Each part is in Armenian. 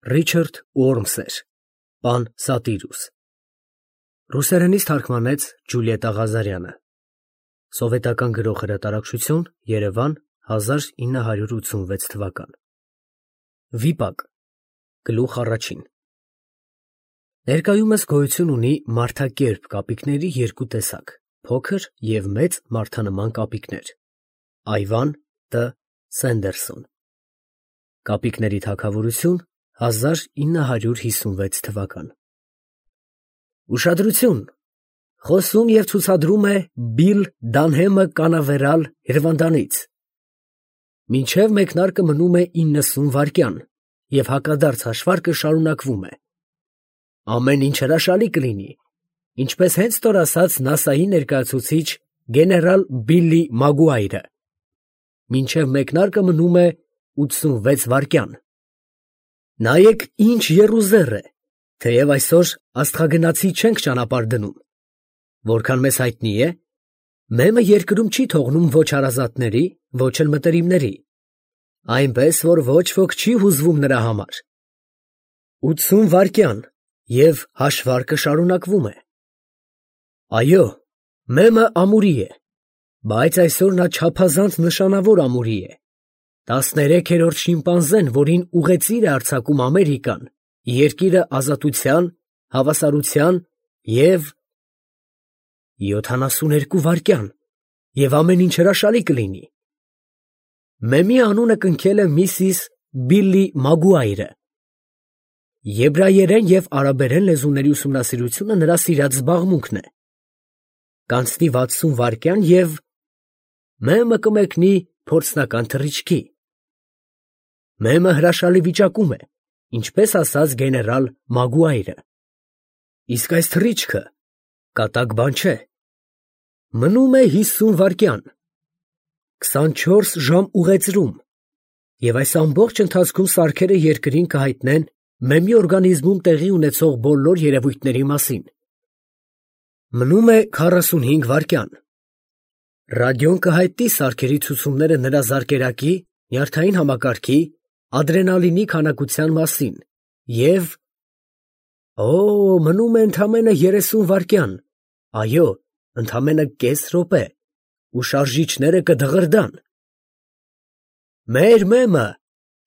Ռիչարդ Ուորմսեր, Պան Սատիրուս, ռուսերենից թարգմանեց Ջուլիետտա Ղազարյանը, սովետական գրող հրատարակչություն, Երևան, 1986 թվական, վիպակ, գլուխ առաջին։ Ներկայումս գոյություն ունի մարդակերպ կապիկների երկու տեսակ, փոքր և մեծ մարդանման կապիկներ, Այվան Տ. Սենդերսոն, կապիկների թագավորություն 1956 թվական։ Ուշադրություն, խոսում և ցուցադրում է Բիլ Դանհեմը կանավերալ Հրվանդանից, մինչև մեկնարկը մնում է 90 վայրկյան և հակադարձ հաշվարկը շարունակվում է։ Ամեն ինչ հրաշալի կլինի, ինչպես հենց նոր ասաց ՆԱՍԱ-ի ներկայացուցիչ գեներալ Բիլլի Մագուայրը, մինչև մեկնարկը մնում է 86 վայրկյան։ Նայեք ինչ եռուզեռ է, թեև այսօր աստղագնացի չենք ճանապարհ դնում։ Որքան մեզ հայտնի է, մեմը երկրում չի թողնում ոչ հարազատների, ոչ էլ մտերիմների, այնպես որ ոչ ոք չի հուզվում նրա համար։ 80 վայրկյան և հաշվարկը շարունակվում է։ Այո, մեմը ամուրի է, բայց այսօր նա չափազանց նշանավոր ամուրի է։ 13-րդ շիմպանզեն, որին ուղեծիր է արձակում Ամերիկան, երկիրը ազատության, հավասարության և 72 վայրկյան, և ամեն ինչ հրաշալի կլինի։ Մեմի անունը կնքել է միսիս Բիլլի Մագուայրը։ Եբրայերեն և արաբերեն լեզուների ուսումնասիրությունը նրա սիրած զբաղմունքն է։ Կանցնի 60 վայրկյան և մեմը կմեկնի փորձնական թռիչքի։ Մեմը հրաշալի վիճակում է, ինչպես ասաց գեներալ Մագուայրը։ Իսկ այս թռիչքը կատակ բան չէ։ Մնում է 50 վայրկյան, 24 ժամ ուղեծրում, և այս ամբողջ ընթացքում սարքերը երկրին կհայտնեն մեմի օրգանիզմում տեղի ունեցող բոլոր երևույթների մասին։ Մնում է 45 վայրկյան։ Ռադիոն կհայտնի սարքերի ցուցումները նրա զարկերակի, նյարդային համակարգի, ադրենալինի քանակության մասին և… մնում է ընդամենը 30 վայրկյան, այո, ընդամենը կես րոպե, ու շարժիչները կդղրդան։ Մեր մեմը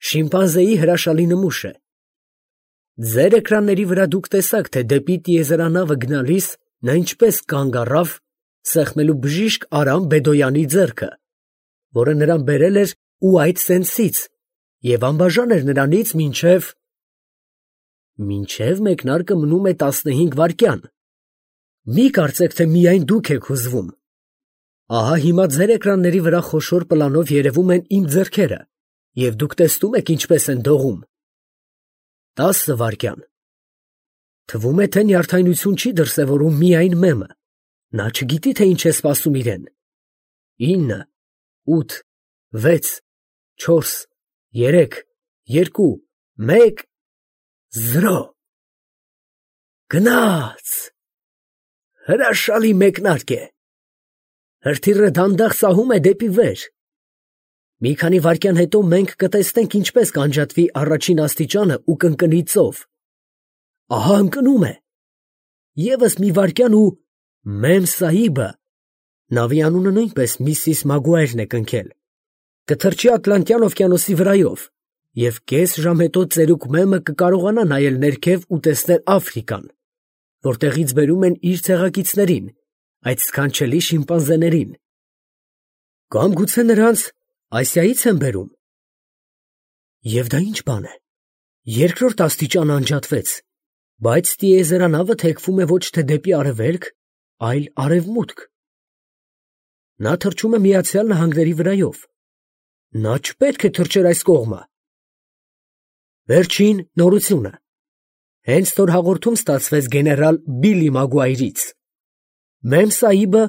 շիմպանզեի հրաշալի նմուշ է։ Ձեր էկրանների վրա դուք տեսաք, թե դեպի տիեզերանավը գնալիս նա ինչպես կանգ առավ, սեղմելու բժիշկ Արամ Բեդոյանի ձեռքը, որը նրան բերել էր Ուայթ Սենսից և անբաժան էր նրանից մինչև մեկնարկը մնում է 15 վայրկյան։ Մի կարծեք, թե միայն դուք եք հուզվում։ Ահա հիմա ձեր էկրանների վրա խոշոր պլանով երևում են իմ ձեռքերը, և դուք տեսնում եք ինչպես են դողում։ 10 վայրկյան։ Թվում է, թե նյարդայնություն չի դրսևորում միայն մեմը, նա չգիտի, թե ինչ է սպասում իրեն։ 9, 8, 6, 4, 3, 2, 1, 0։ Գնաց։ Հրաշալի մեկնարկ է։ Հրթիռը դանդաղ սահում է դեպի վեր։ Մի քանի վայրկյան հետո մենք կտեսնենք ինչպես կանջատվի առաջին աստիճանը ու կընկնի ծով։ Ահա ընկնում է։ Եվս մի վայրկյան ու Մեմ Սահիբը, նավի անունը նույնպես Միսիս Մագուայրն է կնքել, կթռչի Ատլանտյան օվկիանոսի վրայով, և կես ժամ հետո ծերուկ մեմը կկարողանա նայել ներքև ու տեսնել Աֆրիկան, որտեղից բերում են իր ցեղակիցներին, այդ սքանչելի շիմպանզեներին։ Կամ գուցե նրանց Ասիայից են բերում։ Եվ դա ինչ բան է։ Երկրորդ աստիճանը անջատվեց, բայց տիեզերանավը թեքվում է ոչ թե դեպի արևելք, այլ արևմուտք։ Նա թռչում է Միացյալ Նահանգների վրայով։ Նա չպետք է թռչեր այս կողմը։ Վերջին նորությունը։ Հենց նոր հաղորդում ստացվեց գեներալ Բիլլի Մագուայրից։ Մեմ Սահիբը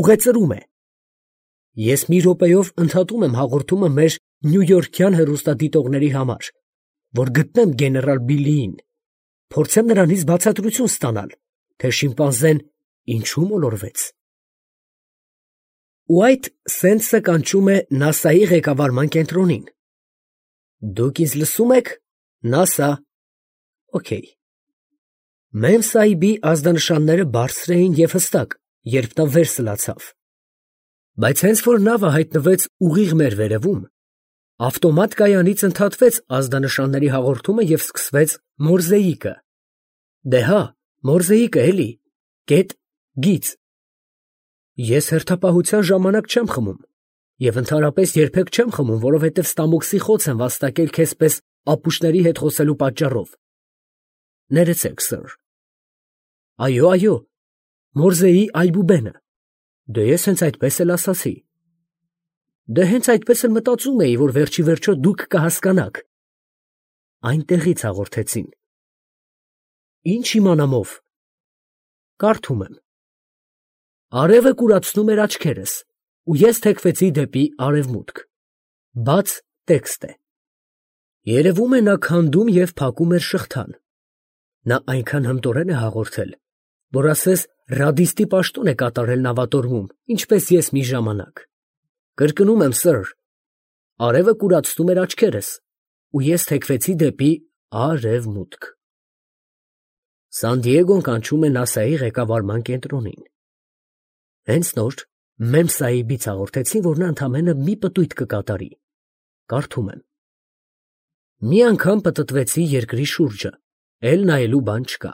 ուղեծրում է։ Ես մի րոպեով ընդհատում եմ հաղորդումը մեր նյույորքյան հեռուստադիտողների համար, որ գտնեմ գեներալ Բիլլիին, փորձեմ նրանից բացատրություն ստանալ, թե շիմպանզեն ինչու մոլորվեց։ Ուայթ Սենսը կանչում է ՆԱՍԱ-ի ղեկավարման կենտրոնին։ Դուք ինձ լսում եք, ՆԱՍԱ, օքեյ։ Մեմ Սահիբի ազդանշանները բարձր էին և հստակ, երբ նա վեր սլացավ։ Բայց հենց որ նավը հայտնվեց ուղիղ մեր վերևում, ավտոմատ կայանից ընդհատվեց ազդանշանների հաղորդումը և սկսվեց մորզեիկը։ Դե հա, մորզեիկը էլի, գիծ։ Ես հերթապահության ժամանակ չեմ խմում և ընդհանրապես երբեք չեմ խմում, որովհետև ստամոքսի խոց եմ վաստակել քեզ պես ապուշների հետ խոսելու պատճառով։ Ներեցեք, սըր։ Այո, մորզեի այբուբենը։ Դե ես հենց այդպես էլ ասացի։ Դե հենց այդպես էլ մտածում էի, որ վերջի վերջո դուք կհասկանաք։ Այնտեղից հաղորդեցին։ Ինչ իմանամ ով։ Կարդում եմ։ Արևը կուրացնում էր աչքերս, ու ես թեքվեցի դեպի արևմուտք։ Բաց տեքստ է։ Երևում է նա քանդում և փակում էր շղթան։ Նա այնքան հմտորեն է հաղորդել, որ ասես ռադիստի պաշտոն է կատարել նավատորմում, ինչպես ես մի ժամանակ։ Կրկնում եմ, սըր, արևը կուրացնում էր աչքերս, ու ես թեքվեցի դեպի արևմուտք։ Սան Դիեգոն կանչում է ՆԱՍԱ-ի ղեկավարման կենտրոնին։ Հենց նոր Մեմ Սահիբից հաղորդեցին, որ նա ընդամենը մի պտույտ կկատարի։ Կարդում եմ. մի անգամ պտտվեցի երկրի շուրջը, էլ նայելու բան չկա։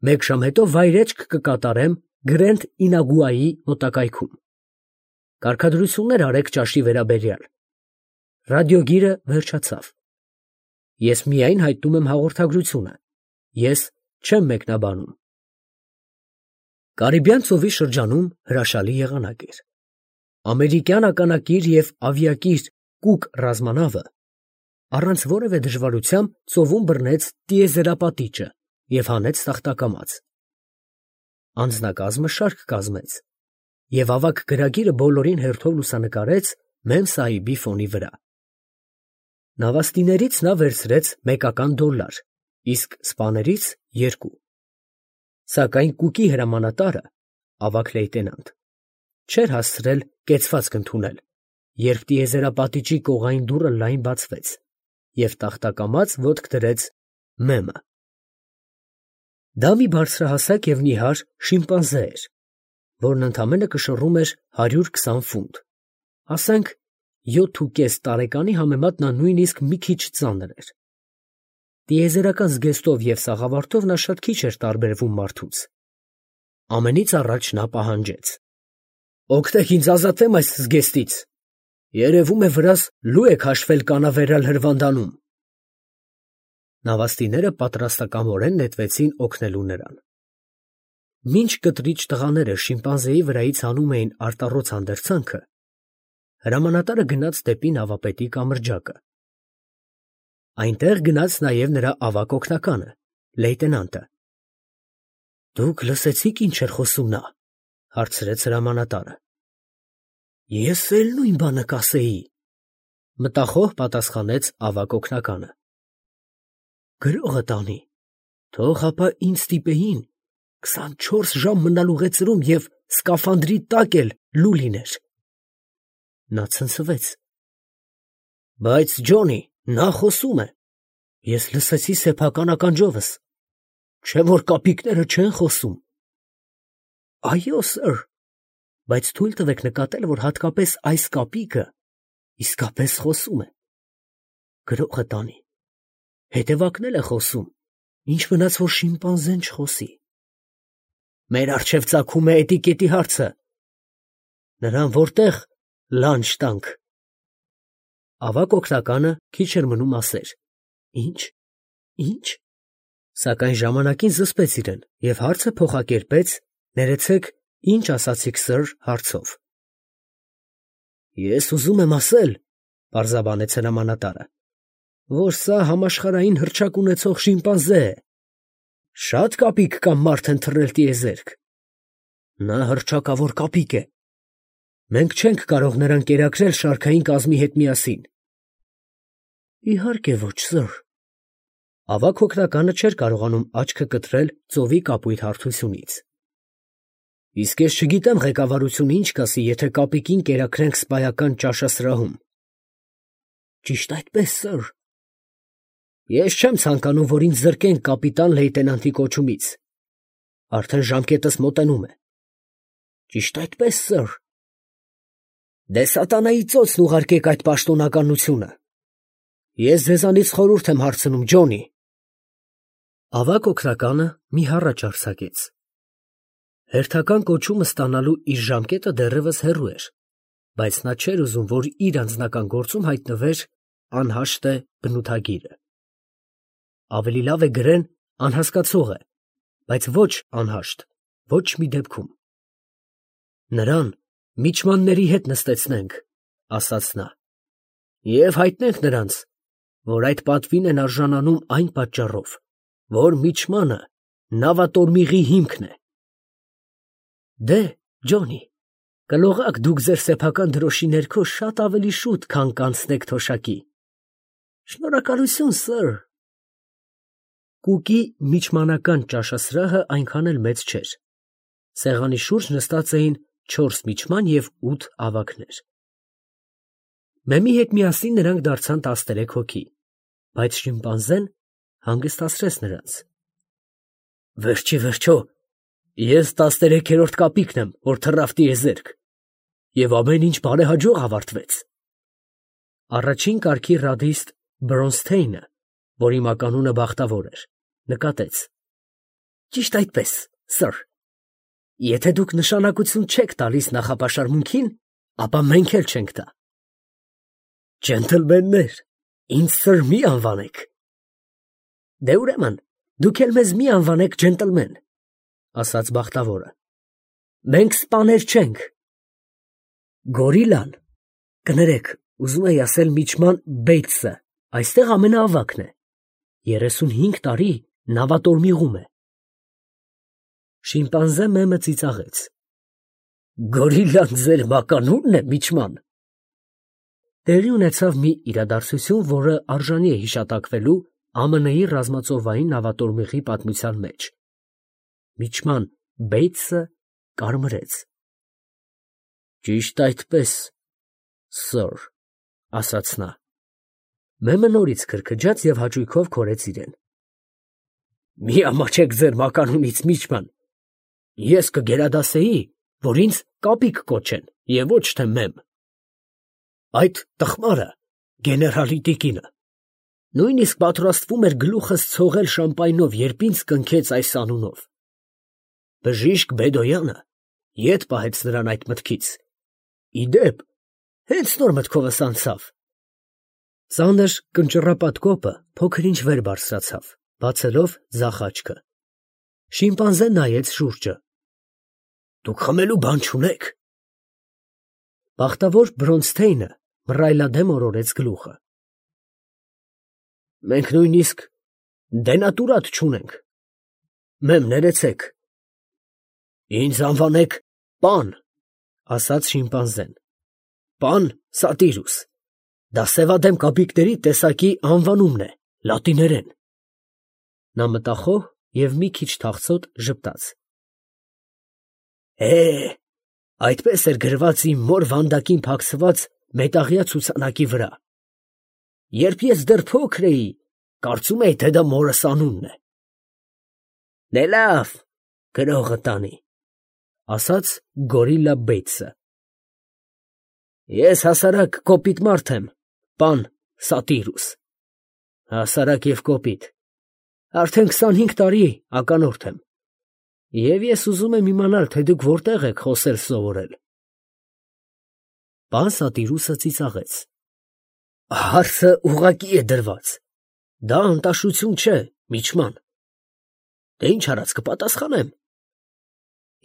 Մեկ ժամ հետո վայրեջք կկատարեմ Գրենդ Ինագուայի մոտակայքում։ Կարգադրություններ արեք ճաշի վերաբերյալ։ Ռադիոգիրը վերջացավ։ Ես միայն հայտնում եմ հաղորդագրությունը։ Ես չեմ մեկնաբանում։ Կարիբյան ծովի շրջանում հրաշալի եղանակ էր։ Ամերիկյան ականակիր և ավիակիր Կուկ ռազմանավը առանց որևէ դժվարության ծովում բռնեց տիեզերապատիճը և հանեց տախտակամաց։ Անձնակազմը շարք կազմեց, և ավագ գրագիրը բոլորին հերթով լուսանկարեց Մեմ Սահիբի ֆոնի վրա։ Նավաստիներից նա վերցրեց $1, իսկ սպաներից 2։ Սակայն Կուկի հրամանատարը, ավագ լեյտենանտ, չէր հասցրել կեցվածք ընդունել, երբ տիեզերապատիճի կողային դուռը լայն բացվեց, և տախտակամաց ոտք դրեց Մեմը։ Դա մի բարձրահասակ և նիհար շիմպանզե էր, որն ընդամենը կշռում էր 120 ֆունտ, ասենք 7,5 տարեկանի համեմատ նա նույնիսկ մի քիչ ծանր էր։ Տիեզերական զգեստով և սաղավարտով նա շատ քիչ էր տարբերվում մարդուց։ Ամենից առաջ նա պահանջեց. «Օգնեք ինձ ազատվեմ այս զգեստից։ Երևում է վրաս լու եք հաշվել կանավերալ հրվանդանում»։ Նավաստիները պատրաստակամորեն նետվեցին օգնելու նրան։ Մինչ կտրիչ տղաները շիմպանզեի վրայից հանում էին արտառոց հանդերձանքը, հրամանատարը գնաց դեպի նավապետի կամրջակը։ Այնտեղ գնաց նաև նրա ավագ օգնականը, լեյտենանտը։ «Դուք լսեցի՞ք ինչ էր խոսում նա», հարցրեց հրամանատարը։ «Ես էլ նույն բանը կասեի», մտախոհ պատասխանեց ավագ օգնականը։ «Գրողը տանի, թող հապա ինձ ստիպեին 24 ժամ մնալ ուղեծրում և սկաֆանդրի տակ էլ լու լիներ»։ Նա ցնցվեց։ «Բայց, Ջոնի, նա խոսում է, ես լսեցի սեփական ականջովս, չէ՞ որ կապիկները չեն խոսում»։ «Այո, սըր, բայց թույլ տվեք նկատել, որ հատկապես այս կապիկը իսկապես խոսում է։ Գրողը տանի, հետևակն էլ է խոսում, ինչ մնաց, որ շիմպանզեն չխոսի։ Մեր առջև ծագում է էտիկետի հարցը. նրան որտեղ լանջ տանք»։ Ավագ օգնականը քիչ էր մնում ասեր. Ինչ, սակայն ժամանակին զսպեց իրեն և հարցը փոխակերպեց, ներեցեք, ինչ ասացիք, սըր, հարցով։ «Ես ուզում եմ ասել, ֊ պարզաբանեց հրամանատարը, ֊ որ սա համաշխարհային հռչակ ունեցող շիմպանզե է։ Շատ կապիկ կամ մարդ են թռել տիեզերք։ Նա հռչակավոր կապիկ է։ Մենք չենք կարող նրան կերակրել շարքային կազմի հետ միասին»։ «Իհարկե ոչ, սըր»։ Ավագ օգնականը չէր կարողանում աչքը կտրել ծովի կապույտ հարթությունից։ «Իսկ ես չգիտեմ ղեկավարությունը ինչ կասի, եթե կապիկին կերակրենք սպայական ճաշասրահում»։ «Ճիշտ այդպես, սըր»։ Ես չեմ ցանկանում, որ ինձ զրկեն կապիտան լեյտենանտի կոչումից։ Արդեն ժամկետս մոտենում է։ Ճիշտ այդպես, սըր։ Դե սատանայի ծոցն ուղարկեք այդ պաշտոնականությունը։ Ես ձեզանից խորհուրդ եմ հարցնում, Ջոնի։ Ավագ օգնականը մի հառաչ արձակեց։ Հերթական կոչումը ստանալու իր ժամկետը դեռևս հեռու էր, բայց նա չէր ուզում, որ իր անձնական գործում հայտնվեր անհաշտ է բնութագիրը։ Ավելի լավ է գրեն անհասկացող է, բայց ոչ անհաշտ, ոչ մի դեպքում։ Նրան միջմանների հետ նստեցնենք, ասաց նա, և հայտնենք նրանց, որ այդ պատվին են արժանանում այն պատճառով, որ միջմանը նավատորմիղի հիմքն է։ Դե, Ջոնի, կլողաք դուք ձեր սեփական դրոշի ներքո շատ ավելի շուտ, քան կանցնեք թոշակի։ Շնորհակալություն, սըր։ Կուկի միջմանական ճաշասրահը այնքան էլ մեծ չէր։ Սեղանի շուրջ նստած էին 4 միջման և 8 ավագներ։ Մեմի հետ միասին նրանք դարձան 13 հոգի, բայց շիմպանզեն հանգստացրեց նրանց։ Վերջի վերջո, ես 13-րդ կապիկն եմ, որ թռավ տիեզերք, և ամեն ինչ բարեհաջող ավարտվեց։ Առաջին կարգի ռադիստ Բրոնստեյնը, որի մականունը Բախտավոր էր, նկատեց. Ճիշտ այդպես, սըր։ Եթե դուք նշանակություն չեք տալիս նախապաշարմունքին, ապա մենք էլ չենք տա։ Ջենտլմեններ, ինձ սըր մի անվանեք։ Դե ուրեմն, դուք էլ մեզ մի անվանեք ջենտլմեն, ասաց Բախտավորը։ Մենք սպաներ չենք։ Գորիլան, կներեք, ուզում էի ասել միջման Բեյթսը, այստեղ ամենաավագն է, 35 տարի նավատորմիղում է։ Շիմպանզե մեմը ծիծաղեց։ Գորիլան ձեր մականունն է, միջման։ Տեղի ունեցավ մի իրադարձություն, որը արժանի է հիշատակվելու ԱՄՆ-ի ռազմածովային նավատորմիղի պատմության մեջ։ Միջման Բեյթսը կարմրեց։ Ճիշտ այդպես, սըր, ասաց նա։ Մեմը նորից քրքջաց և հաճույքով քորեց իրեն։ Մի ամաչեք ձեր մականունից, միջման։ Ես կգերադասեի, որ ինձ կապիկ կոչեն և ոչ թե մեմ։ Այդ տխմարը գեներալի տիկինը նույնիսկ պատրաստվում էր գլուխս ցողել շամպայնով, երբ ինձ կնքեց այս անունով։ Բժիշկ Բեդոյանը ետ պահեց նրան այդ մտքից։ Ի դեպ, հենց նոր մտքովս անցավ։ Ծանր կնճռապատ կոպը փոքր-ինչ վեր բարձրացավ, բացելով ձախ աչքը։ Շիմպանզեն նայեց շուրջը։ Դուք խմելու բան չունեք։ Բախտավոր Բրոնստեյնը մռայլադեմ օրորեց գլուխը։ Մենք նույնիսկ դենատուրատ չունենք։ Մեմ, ներեցեք։ Ինձ անվանեք պան, ասաց շիմպանզեն։ Պան Սատիրուս։ Դա սևադեմ կապիկների տեսակի անվանումն է, լատիներեն։ Նա մտախոհ և մի քիչ թախծոտ ժպտաց։ Այդպես էր գրված իմ մոր վանդակին փակցված մետաղյա ցուցանակի վրա։ Երբ ես դեռ փոքր էի, կարծում էի, թե դա մորս անունն է։ Դե լավ, գրողը տանի, ասաց Գորիլա Բեյթսը։ Ես հասարակ կոպիտ մարդ եմ, պան Սատիրուս։ Հասարակ և կոպիտ։ Արդեն 25 տարի ականորդ եմ։ Եվ ես ուզում եմ իմանալ, թե դուք որտեղ եք խոսել սովորել։ Պան Սատիրուսը ծիծաղեց։ Հարցը ուղղակի է դրված։ Դա անտաշություն չէ, միջման։ Դե ինչ արած կպատասխանեմ։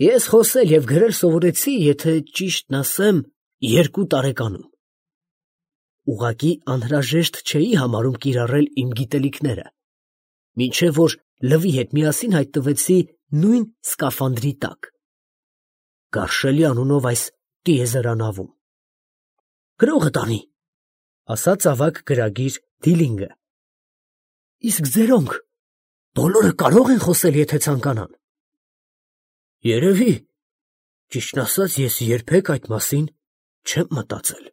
Ես խոսել և գրել սովորեցի, եթե ճիշտն ասեմ, 2 տարեկանում։ Ուղղակի անհրաժեշտ չէի համարում կիրառել իմ գիտելիքները, մինչև որ լվի հետ միասին հայտնվեցի նույն սկաֆանդրի տակ։ Գարշելի անունով այս տիեզերանավում։ Գրողը տանի, ասաց ավագ գրագիր Դիլինգը։ Իսկ ձերոնք բոլորը կարող են խոսել, եթե ցանկանան։ Երևի, ճիշտն ասած, ես երբեք այդ մասին չեմ մտածել։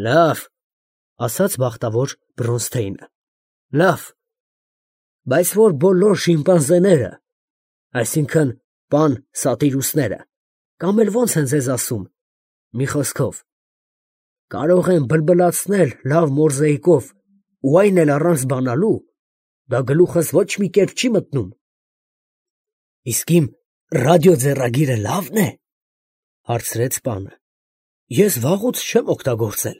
Լավ, ասաց Բախտավոր Բրոնստեյնը։ Լավ, բայց որ բոլոր շիմպանզեները, այսինքն պան սատիրուսները, կամ էլ ոնց են ձեզ ասում, մի խոսքով, կարող են բլբլացնել լավ մորզեիկով ու այն էլ առանց բանալու, դա գլուխս ոչ մի կերպ չի մտնում։ Իսկ իմ ռադիո ձեռագիրը լավն է, հարցրեց պանը։ Ես վաղուց չեմ օգտագործել։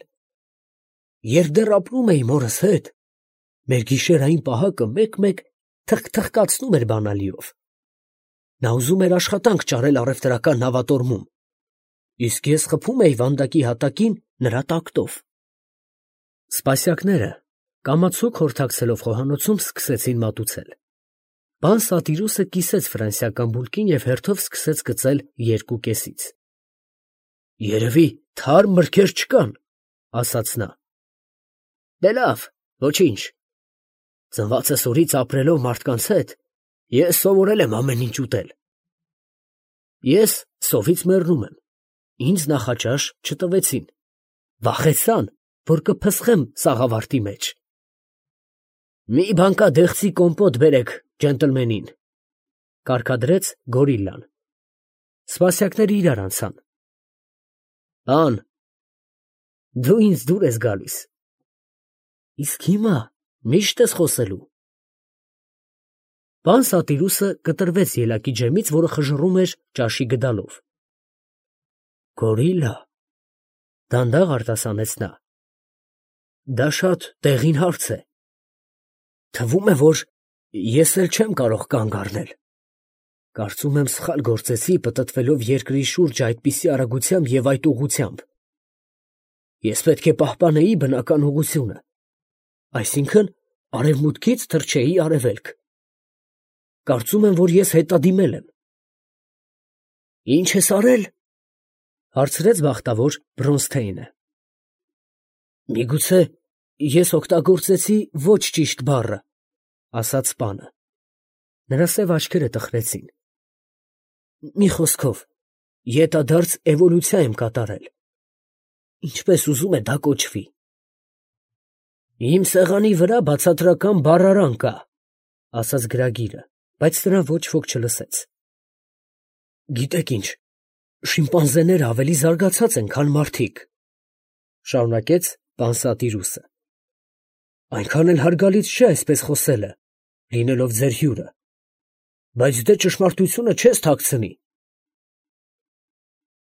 Երբ դեռ ապրում էի մորս հետ, մեր գիշերային պահակը մեկ-մեկ թխկացնում էր բանալիով։ Նա ուզում էր աշխատանք ճարել առևտրական նավատորմում, իսկ ես խփում էի վանդակի հատակին նրա տակտով։ Սպասյակները կամացուկ հորթակցելով խոհանոցում սկսեցին մատուցել։ Պան Սատիրուսը կիսեց ֆրանսիական բուլկին և հերթով սկսեց գծել 2 կեսից։ Երևի թարմ մրգեր չկան, ասաց նա։ Դե լավ, ոչինչ։ Ծնվածս օրից ապրելով մարդկանց հետ, ես սովորել եմ ամեն ինչ ուտել։ Ես սովից մեռնում եմ, ինձ նախաճաշ չտվեցին, վախեցան, որ կփսխեմ սաղավարտի մեջ։ Մի բանկա դեղցի կոմպոտ բերեք ջենտլմենին, կարգադրեց գորիլլան։ Սպասյակները իրար անցան։ Պան, դու ինձ դուր ես գալիս։ Իսկ հիմա միշտ ես խոսելու։ Պան Սատիրուսը կտրվեց ելակի ջեմից, որը խժռում էր ճաշի գդալով։ Գորիլլա, դանդաղ արտասանեց նա։ Դա շատ տեղին հարց է։ Թվում է, որ ես էլ չեմ կարող կանգ առնել։ Կարծում եմ սխալ գործեցի պտտվելով երկրի շուրջ այդպիսի արագությամբ և այդ ուղղությամբ։ Ես պետք է պահպանեի բնական ուղղությունը, այսինքն արևմուտքից թռչեի արևելք։ Կարծում եմ, որ ես հետադիմել եմ։ Ինչ ես արել, հարցրեց բախտավոր Բրոնսթեյնը։ Միգուցե ես օգտագործեցի ոչ ճիշտ բառը, ասաց պանը։ Նրա սև աչքերը տխրեցին։ Մի խոսքով, ետադարձ էվոլյուցիա եմ կատարել։ Ինչպես ուզում է դա կոչվի։ Իմ սեղանի վրա բացատրական բառարան կա, ասաց գրագիրը, բայց նրան ոչ ոք չլսեց։ Գիտեք ինչ, շիմպանզեները ավելի զարգացած են, քան մարդիկ, շարունակեց պան Սատիրուսը։ Այնքան էլ հարգալից չէ այսպես խոսելը, լինելով ձեր հյուրը, բայց դե ճշմարտությունը չես թաքցնի։